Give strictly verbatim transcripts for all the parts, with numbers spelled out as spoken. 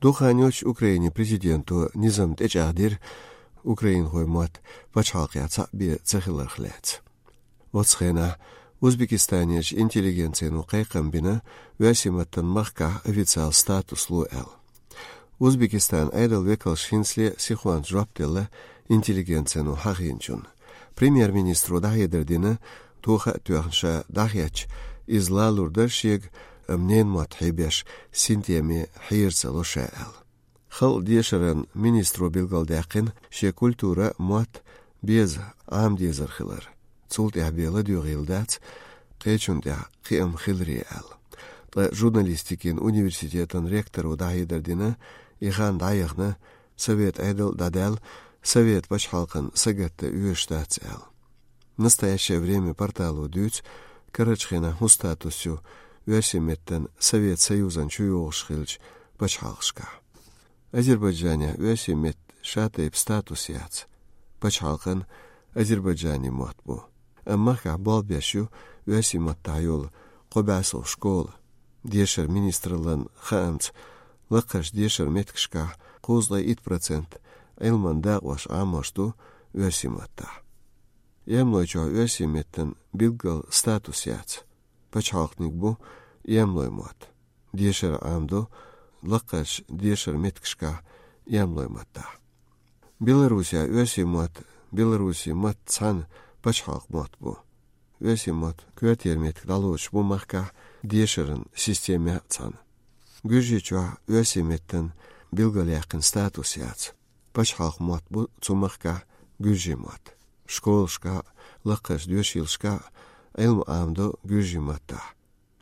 Дукха хан йоаццаш Украинан президенто низам тӀечӀагӀдира украинхойн мотт пачхьалкхехь цхьаъ бен ца хиларх лаьцна. Оцу хенахь Узбекистанерчу интеллигенцино кхайкхам бина, оьрсийн маттана махкахь официал статус ло аьлла. Узбекистанан Ӏедалан векалша хӀинцале а сихонца жоп делла интеллигенцино хьахийначунна. Премьер-министро дӀахьедар дина, тоха а тоьхна ша дӀахецча, иза лалур дара шега, амма ненан мотт хьебеш синтеме хьера ца ло ша аьлла. Халкъан дешаран министро билгалдаьккхина шен культура а, мотт а беза Ӏамадезар хилар. Цул тӀаьхьа бен ладоьгӀийла дац, кхечунна тӀехь кхиам хиларе аьлла. Ткъа журналистикин университетан ректоро дӀахьедар дина, и хан дӀаяхана, Совет Ӏедал а дӀадаьлла, Совет пачхьалкхана сагатдан оьшуш дац аьлла. «Настоящее время» портало дуьйцу, карарчу хенахь хӀун статус ю оьрсийн меттан Совет Союзан чу йогӀуш хиллачу пачхьалкхашкахь. Азербайджанехь оьрсийн меттан шатайпа статус яц. Пачхьалкхан азербайджанийн мотт бу. Амма махкахь болх беш ю оьрсийн маттахь йолу кхо бӀе сов школа. Дешаран министраллан хаамца, лакхарчу дешаран меттигашкахь кхузткъе итт процент Ӏилманан дакъош Ӏамош ду оьрсийн маттахь. Эмлой чохь оьрсийн меттан билггал статус яц. Пачхьалкханиг бу эмлой мотт. Дешар Ӏамадо лакхарчу дешаран меттигашкахь эмлой маттахь. Беларусехь оьрсийн мотт, беларусийн мотт цхьаьна пачхьалкхан мотт бу. Оьрсийн мотт коьртера меттиг дӀалоцуш бу махкахь дешаран системехь а цхьаьна. Гуьржийчохь оьрсийн меттан билгалъяьккхина статус яц. Пачхьалкхан мотт бу цу махкахь гуьржийн мотт. Школашкахь а, лакхарчу доьшийлашкахь а Ӏилма Ӏамадо гуьржийн маттахь.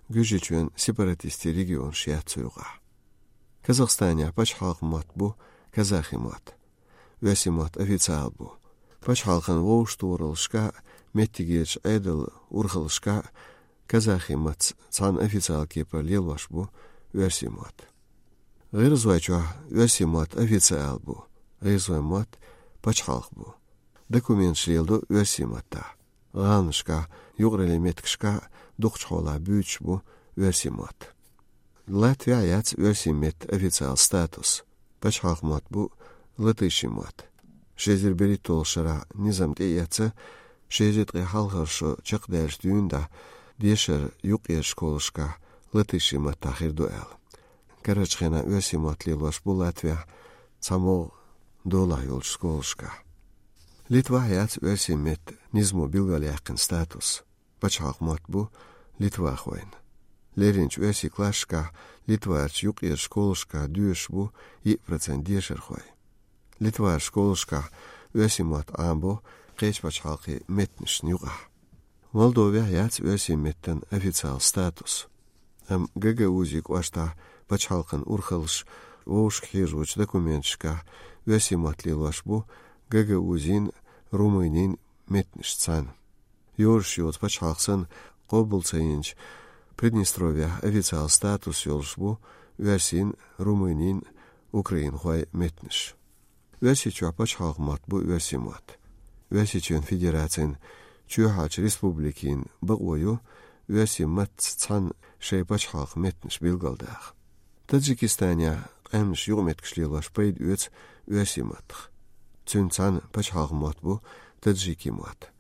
Гуьржийчоьнан сепаратистийн регионаш яц цу юкъахь. Казахстанехь пачхьалкхан мотт бу казахи мотт. Оьрсийн мотт официал бу. Пачхьалкхан вовшахтохараллашкахь а, меттигерчу Ӏедалан урхаллашкахь а казахи маттаца цхьаьна официал кепара лелош бу оьрсийн мотт. ГӀиргӀазойчохь оьрсийн мотт официал бу, гӀиргӀазойн мотт пачхьалкх бу. Документаш леладо оьрсийн маттахь. ГӀаланашкахь, юкъараллин меттигашкахь дукхачу хьолахь буьйцуш бу оьрсийн мотт. Латвехь яц оьрсийн меттан официал статус. Пачхьалкхан мотт бу латышийн мотт. Ши эзар берхӀитталгӀачу шарахь низам тӀеэцна, ши эзар ткъе хьалхара шо чекхдаьллачу дуьйна дӀа дешар юккъерчу школашкахь латышийн маттахь хир ду аьлла. Карарчу хенахь оьрсийн мотт лелош бу Латвехь цхьамогӀа долахь йолчу школашкахь. Литвахь яц оьрсийн меттан низамо билгалъяьккхина статус. Пачхьалкхан мотт бу литвахойн. Лерринчу оьрсийн классашкахь Литварчу юккъерчу школашкахь доьшуш бу йиъ процент дешархой. Литварчу школашкахь оьрсийн мотт Ӏамабо кхечу пачхьалкхийн меттанашна юкъахь. Молдовехь яц оьрсийн меттан официал статус. Амма Гагаузин кӀоштахь пачхьалкхан урхаллаш вовшахкхьежочу документашкахь оьрсийн мотт лелош бу Гагаузин, Румынин меттанаш цхьаьна. Йоьрзуш йоцу пачхьалкх санна къобал ца йинчу Приднестровьехь официал статус йолуш бу оьрсийн, румынийн, украинхойн меттанаш. Оьрсийчохь пачхьалкхан мотт бу оьрсийн мотт. Оьрсийчоьнан Федерацин чоьхьарчу республикийн бакъо ю оьрсийн маттаца цхьаьна шайн пачхьалкхан меттанаш билгалдаха. Таджикистанехь къаьмнаш юкъаметтигаш лелош пайда оьцу оьрсийн маттах. Цуьнца цхьаьна пачхьалкхан мотт бу таджикийн мотт.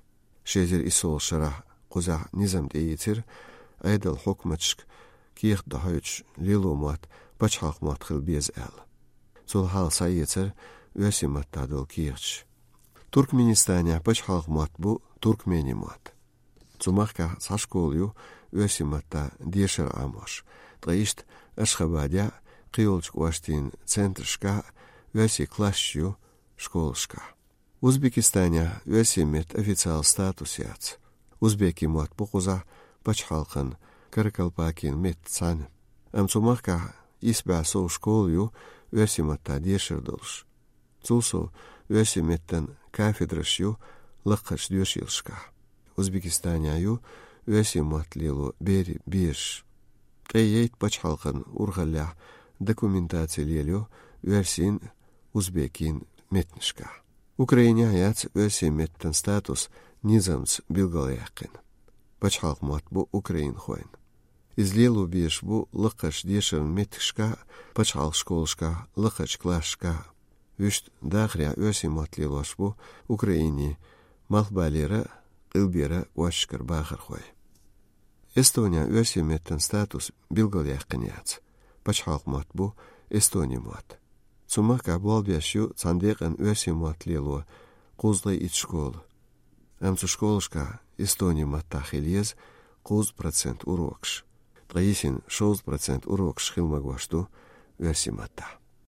Ши эзар иссолгӀачу шарахь кхузахь низам тӀеийцира, Ӏедалан хьукматашка кехат дӀахьойтуш лело мотт пачхьалкхан мотт хила беза аьлла. Цул хьалха схьаэцара оьрсийн маттахь долу кехаташ. Туркменистанехь пачхьалкхан мотт бу туркменийн мотт. Цу махкахь цхьа школа ю оьрсийн маттахь дешар Ӏамош, ткъа иштта Ашхабадехь а, кхийолчу кӀоштийн центрашкахь а оьрсийн классаш ю школашкахь. Узбекистанехь оьрсийн меттан официал статус яц. Узбекийн мотт бу кхузахь пачхьалкхан каракалпакийн меттаца цхьаьна. Амма цу махкахь исс бӀе сов школа ю оьрсийн маттахь дешар долуш. Цул сов, оьрсийн меттан кафедраш ю лакхарчу доьшийлашкахь. Узбекистанехь ю оьрсийн мотт лело берийн бераш. Къен яйта пачхьалкхан урхаллехь документаци лелайо оьрсийн, узбекийн меттанашкахь. Украинехь яц оьрсийн меттан статус низамца билгалъяьккхина. Пачхьалкхан мотт бу украинхойн. Иза лело безаш бу лакхарчу дешаран меттигашкахь а, пачхьалкхан школашкахь а, лакхарчу классашкахь а. Вуьшта дахарехь оьрсийн мотт лелош бу Украинин, Малхбалера а, Къилбера а кӀошташкара бахархой. Эстонехь оьрсийн меттан статус билгалъяьккхина яц. Пачхьалкхан мотт бу эстонийн мотт. Цу махкахь болх беш ю цхьана декъана оьрсийн мотт лело кхузткъе итт школа. Амма цу школашкахь эстонийн маттахь хила еза кхузткъа процент урокаш. Ткъа йисина шовзткъа процент урокаш хила магош ду оьрсийн маттахь.